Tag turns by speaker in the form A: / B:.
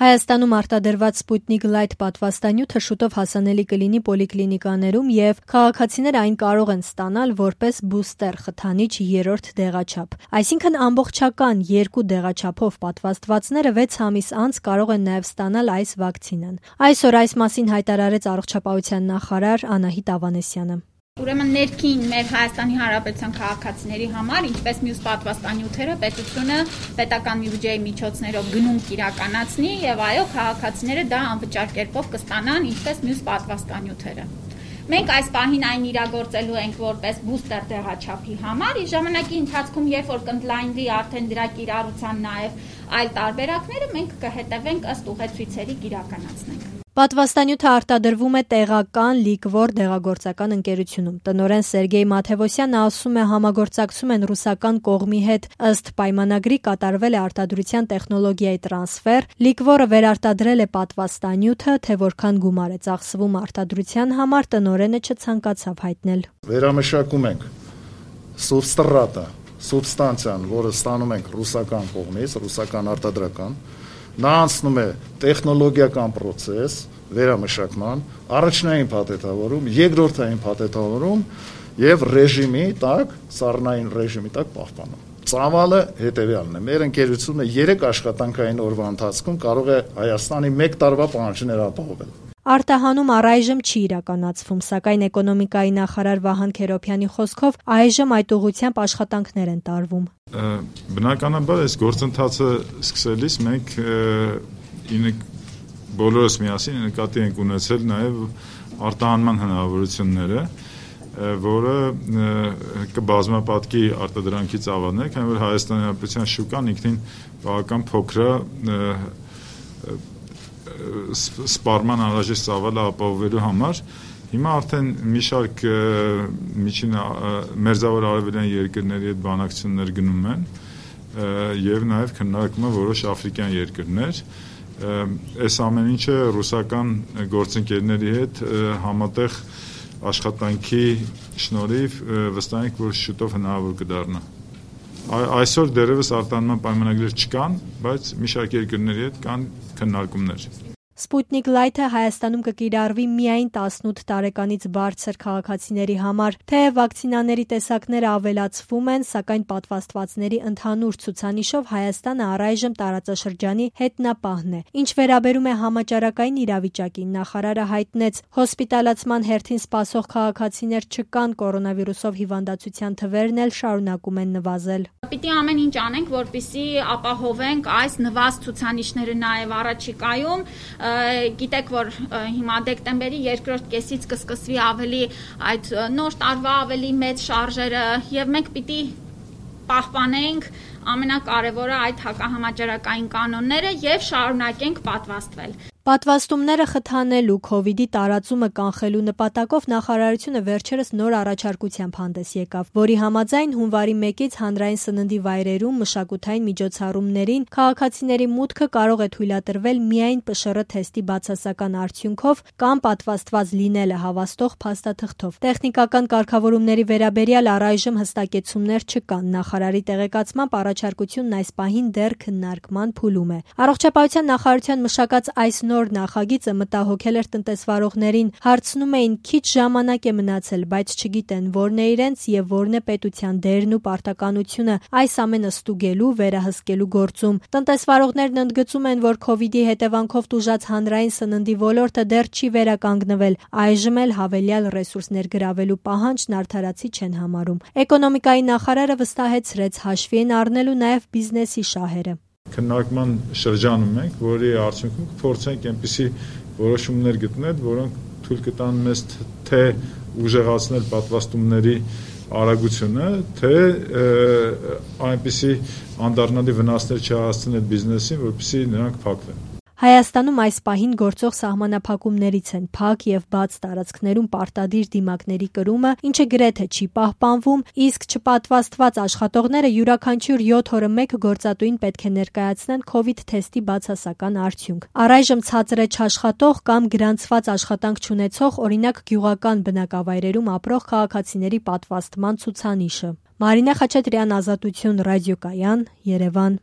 A: Հայաստանում արտադրված Sputnik Light պատվաստանյութը շուտով հասանելի կլինի պոլիկլինիկաներում և քաղաքացիները այն կարող են ստանալ որպես բուստեր խթանիչ 3-րդ դեղաչափ։ Այսինքն ամբողջական 2 դեղաչափով պատվաստվածները 6 ամիս անց կարող են նաև ստանալ այս վակցինան։ Այսօր այս մասին հայտարարեց Առողջապահության նախարար Անահիտ Ավանեսյանը։
B: Ուրեմն ներքին մեր Հայաստանի Հանրապետության քաղաքացիների համար, ինչպես մյուս պատվաստանյութերը, պետությունը պետական բյուջեի միջոցներով գնում կիրականացնի եւ այո, քաղաքացիները դա անվճար կերպով կստանան, ինչպես մյուս պատվաստանյութերը։ Մենք այս պահին այն իրագործելու ենք որպես բուստեր դեղաչափի համար, իսկ ժամանակի ընթացքում, երբ որ կընդլայնվի արդեն դրա կիրառության նաև այլ տարբերակները, մենք կհետևենք ըստ ուղեցույցերի կիրականացնենք։
A: Պատվաստանյութը արտադրվում է տեղական լիկվոր դեղագործական ընկերությունում։ Տնօրեն Սերգեյ Մաթևոսյանը ասում է, համագործակցում են ռուսական կողմի հետ, ըստ պայմանագրի կատարվել է արտադրության տեխնոլոգիայի տրանսֆեր, լիկվորը վերարտադրել է պատվաստանյութը, թե որքան գումար է ծախսվում արտադրության համար, տնօրենը չցանկացավ հայտնել։
C: Վերամշակում ենք սուբստրատը, սուբստանցիան, որը ստանում ենք ռուսական կողմից, ռուսական արտադրական, նա անցնում է տեխնոլոգիական պրոցես վերամշակման, առաջնային փաթեթավորում, երկրորդային փաթեթավորում եւ ռեժիմի տակ, սառնային ռեժիմի տակ պահպանում։ Ծավալը հետեւյալն է. մեր ընկերությունը 3 աշխատանքային օրվա ընթացքում կարող է Հայաստանի 1 տարվա պահանջները ապահովել։
A: Արտահանում առայժմ չի իրականացվում, սակայն էկոնոմիկայի նախարար Վահան Քերոփյանի խոսքով այժմ այդ ուղղությամբ աշխատանքներ են տարվում։
D: Բնականաբար այս գործընթացը սկսելիս մենք բոլորս միասին նկատի ենք ունեցել նաև արտահանման հնարավորությունները, որը կբազմապատկի արտադրանքի ծավալներ, քանի որ Հայաստանի Հանրապետության շուկան ինքնին բավական փոքր է սպառման անհրաժեշտ ծավալը ապահովելու համար։ Հիմա արդեն մի շարք միջին մերձավոր արևելյան երկրների հետ բանակցություններ գնում են եւ նաեւ քննարկում են որոշ աֆրիկյան երկրներ։ Այս ամեն ինչը ռուսական գործընկերների հետ համատեղ աշխատանքի շնորհիվ վստահ ենք, որ շուտով հնարավոր կդառնա։ Այսօր դեռևս արտահանման պայմանագրեր չկան, բայց մի շարք երկրների հետ կան քննարկումներ։
A: Sputnik Light-ը Հայաստանում կկիրառվի միայն 18 տարեկանից բարձր քաղաքացիների համար, թեև վակցինաների տեսակները ավելացվում են, սակայն պատվաստվածների ընդհանուր ցուցանիշով Հայաստանը առայժմ տարածաշրջանի հետնապահն է։ Ինչ վերաբերում է համաճարակային իրավիճակին, նախարարը հայտնեց, հոսպիտալացման հերթին սպասող քաղաքացիներ չկան, կորոնավիրուսով հիվանդացության թվերն էլ շարունակում են նվազել։
B: Պիտի ամեն ինչ անենք, որպեսզի ապահովենք այս նվազ ցուցանիշները նաև առաջիկայում։ Գիտեք, որ հիմա դեկտեմբերի երկրորդ կեսից կսկսվի ավելի այդ նոր տարվա ավելի մեծ շարժերը եւ մենք պիտի պահպանենք ամենակարևորը այդ հակահամաճարակային կանոնները եւ շարունակենք պատվաստվել։
A: Պատվաստումները խթանելու, COVID-ի տարածումը կանխելու նպատակով նախարարությունը վերջերս նոր առաջարկությամբ հանդես եկավ, որի համաձայն հունվարի 1-ից հանրային սննդի վայրերում մշակութային միջոցառումներին քաղաքացիների մուտքը կարող է թույլատրվել միայն ՊՇՌ թեստի բացասական արդյունքով կամ պատվաստված լինելը հավաստող փաստաթղթով։ Տեխնիկական կարգավորումների վերաբերյալ առայժմ հստակեցումներ չկան։ Նախարարի տեղեկացմամբ առաջարկությունն այս պահին դեռ քննարկման փուլում է։ Առողջապահության նախարարության մշակած այս նոր նախագիծը մտահոգել էր տնտեսվարողներին, հարցնում էին քիչ ժամանակ է մնացել, բայց չգիտեն որն է իրենց եւ որն է պետության դերն ու պարտականությունը այս ամենը ստուգելու, վերահսկելու գործում։ Տնտեսվարողներն ընդգծում են, որ COVID-ի հետևանքով տուժած հանրային սննդի ոլորտը դեռ չի վերականգնվել, այժմ էլ հավելյալ ռեսուրսներ գրավելու պահանջն արդարացի չեն համարում։ Էկոնոմիկայի նախարարը վստահեցրեց, հաշվի են առնելու նաեւ բիզնեսի շահերը։
D: Քննարկման շրջանում ենք, որի արդյունքում կփորձենք այնպիսի որոշումներ գտնել, որոնք թույլ կտան մեզ թե ուժեղացնել պատվաստումների արագությունը, թե այնպիսի անդառնալի վնասներ չհասցնել բիզնեսին, որպեսզի նրանք փակվեն։
A: Հայաստանում այս պահին գործող սահմանափակումներից են փակ եւ բաց տարածքներում պարտադիր դիմակների կրումը, ինչը գրեթե չի պահպանվում, իսկ չպատվաստված աշխատողները յուրաքանչյուր 7 օրը մեկ գործատուին պետք է ներկայացնեն COVID թեստի բացասական արդյունք։ Առայժմ ցածր է չաշխատող կամ գրանցված աշխատանք չունեցող, օրինակ գյուղական բնակավայրերում ապրող քաղաքացիների պատվաստման ցուցանիշը։ Մարինե Խաչատրյան, Ազատություն, ռադիոկայան, Երևան։